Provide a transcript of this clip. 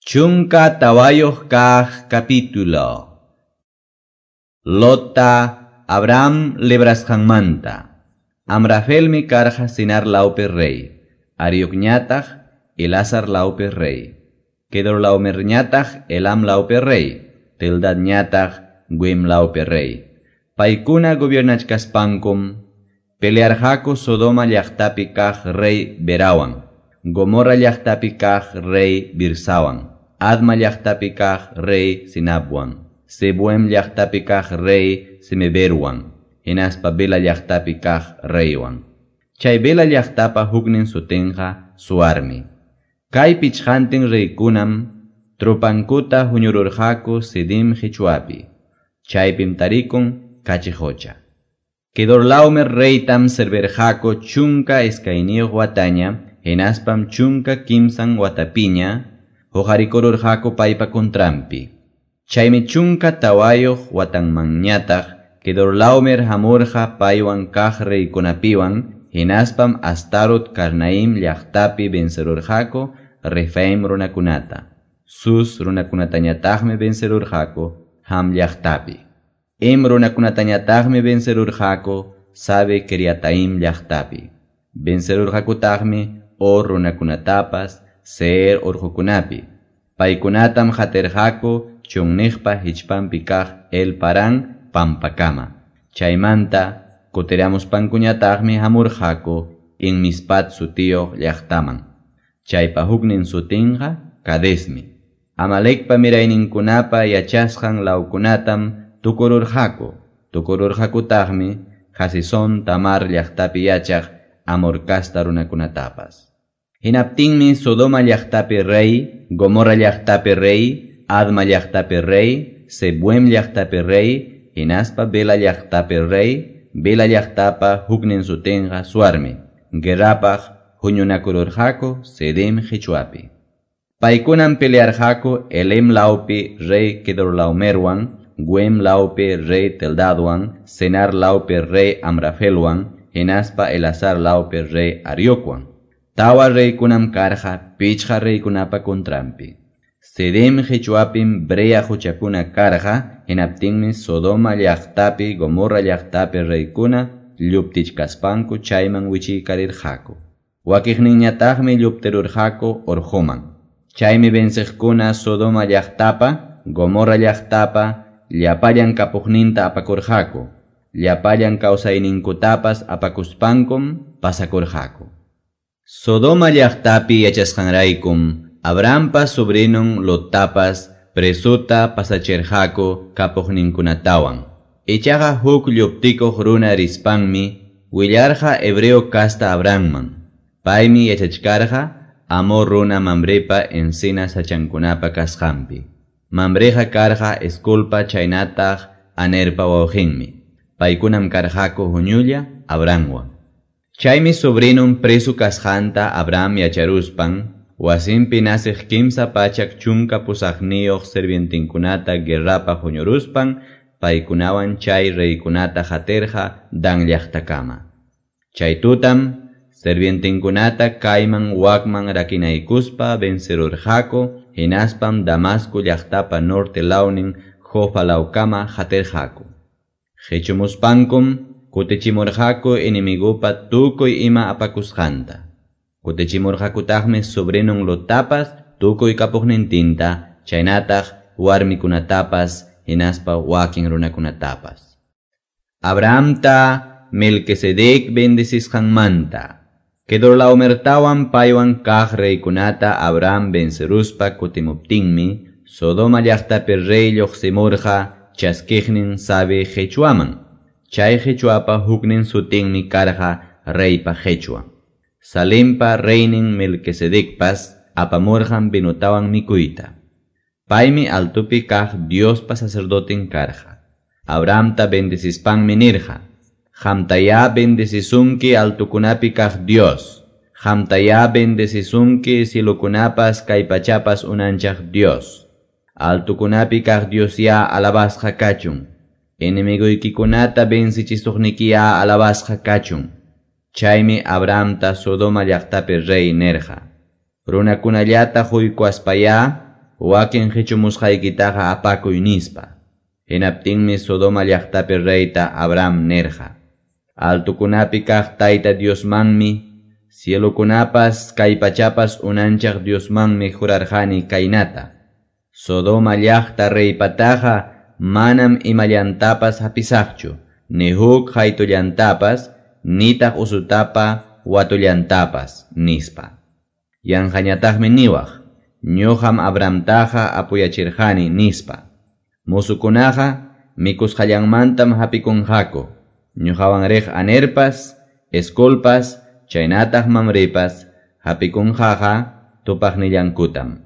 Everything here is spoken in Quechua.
14 kaq capítulo. Lotta Abraham librasqanmanta. Amrafelmi karqa Sinar lawpi rey, Ariocñataq Elazar lawpi rey, Kedorlaomerñataq Elam lawpi rey, Tildadñataq Guim lawpi rey. Paykuna gobiernachkaspankum pelearqaku Sodoma llaqtapi kaq rey Berawan, Gomorra llaqtapi kaq rey Birsawan, Adma llaqtapi kaq rey Sinabwan, Zeboim llaqtapi kaq rey Semeberwan, hinaspa Bela llaqtapi kaq reywan. Chay Bela llaqtapa huknin sutinqa Suarmi. Kay pichqantin reykunam tropankuta huñururqaku Sidim qichwapi. Chaypim tarikun Kachi Qocha. Kedorlaomer reytam servirqaku 12 wataña, hinaspam 13 watapiña huqarikururqaku paypa contranpi. Chaymi 14 watanmanñataq Kedorlaomer hamurqa paywan kaq reykunapiwan, hinaspam Astarot Karnaim llaqtapi vencerurqaku Refaim runakunata. Sus runakunatañataqmi vencerurqaku Ham llaqtapi. Em runakunatañataqmi vencerurqaku Sabe Kiriataim llaqtapi. Vencerurqakutaqmi Or runakunatapas Seer urqukunapi. Paykunatam qatirqaku chunniqpa hichpanpi kaq El Parán pampakama. Chaymanta kutiramuspankuñataqmi hamurqaku Inmispat sutiyuq llaqtaman. Chaypa huknin sutinqa Kadesmi. Amalekpa mirayninkunapa yachasqan lawkunatam tukururqaku. Tukururqakutaqmi Jasisón Tamar llaqtapi yachaq Amor casta runakunatapas. Hinaptinmi Sodoma llaqtapi rey, Gomorra llaqtapi rey, Adma llaqtapi rey, Zeboim llaqtapi rey, hinaspa Bela llaqtapi rey, Bela llaqtapa huknin sutinqa Suarmi. Guerrapaq huñunakururqaku Sidim qichwapi. Paykunam pelearqaku Elem lawpi rey Kedorlaomerwan, Guem lawpi rey Teldadwan, Senar lawpi rey Amrafelwan, hinaspa Elazar lawpi rey Ariocwan. Tawa reykunam karqa pichqa reykunapa contranpi. Sidim qichwapim Brea quchakuna karqa, hinaptinmi Sodoma llaqtapi, Gomorra llaqtapi reykuna lluptichkaspanku chayman wichiykarirqaku. Wakiqninñataqmi lluptirurqaku urquman. Chaymi venciqkuna Sodoma llaqtapa, Gomorra llaqtapa, llapallan kapuqninta apakurqaku. Llapallan kawsayninkutapas apakuspankum pasakurqaku. Sodoma llaqtapi yachasqanraykum Abrahampa sobrinon Lottapas presuta pasachirqaku kapuqninkunatawan. Ichaqa huk lluptikuq runa rispanmi willarqa hebreo casta Abrahamman. Paymi yachachkarqa Amor runa Mamrepa encina sachankunapa kasqanpi. Mamreqa karqa Esculpa chaynataq Anerpa wawqinmi. Paykunam karqaku huñulla Abrahamwan. Chaymi sobrinon preso kasqanta Abraham yacharuspan, wasinpi nasiq 318 sirvientinkunata guerrapaq huñuruspan, paykunawan chay reykunata qatirqa Dan llaqtakama. Chay tutam sirvientinkunata kayman wakman rakinaykuspa vencerurqaku, hinaspam Damasco llaqtapa norte lawnin Jofa lawkama qatirqaku. Qichumuspankum kutichimurqaku enemigupa tukuy ima apakusqanta. Kutichimurqakutaqmi sobrinon Lottapas tukuy kapuqnintinta, chaynataq warmikunatapas hinaspa wakin runakunatapas. Abrahamta Melquisedec bendecisqanmanta. Kedorlaomertawan paywan kaq reykunata Abraham venceruspa kutimuptinmi, Sodoma llaqtapi rey lluqsimurqa chaskiqnin Sabe qichwaman. Chay qichwapa huknin sutinmi karqa reypa qichwan. Salempa reynin Melquisedecpas apamurqan vinotawan mikuyta. Paymi altupi kaq Diospa sacerdotin karqa. Abrahamta bendecispanmi nirqa: Qamtayá bendecisunki altukunapi kaq Dios. Qamtayá bendecisunki cielokunapas kay pachapas unanchaq Dios. Altukunapi kaq Diosyá alabasqa kachun. Enemiguykikunata vencichisuqnikiyá alabasqa kachun. Chaymi Abrahamta Sodoma llaqtapi rey nirqa: Runakunallata huykuaspayá wakin qichumusqaykitaqa apakuy nispa. Hinaptinmi Sodoma llaqtapi reyta Abraham nirqa: Altukunapi kaq Tayta Diosmanmi, cielokunapas kay pachapas unanchaq Diosmanmi jurarqani kaynata: Sodoma llaqta reypataqa manam imallantapas hapisaqchu, ni huk qaytullantapas, nitaq usutapa watullantapas, nispa. Yanqañataqmi niwaq, ñuqam Abrahamtaqa apuyachirqani, nispa. Musukunaqa mikusqallanmantam hapikunqaku, ñuqawan riq Anerpas, Escolpas, chaynataq Mamrepas hapikunqaqa tupaqnillankutam.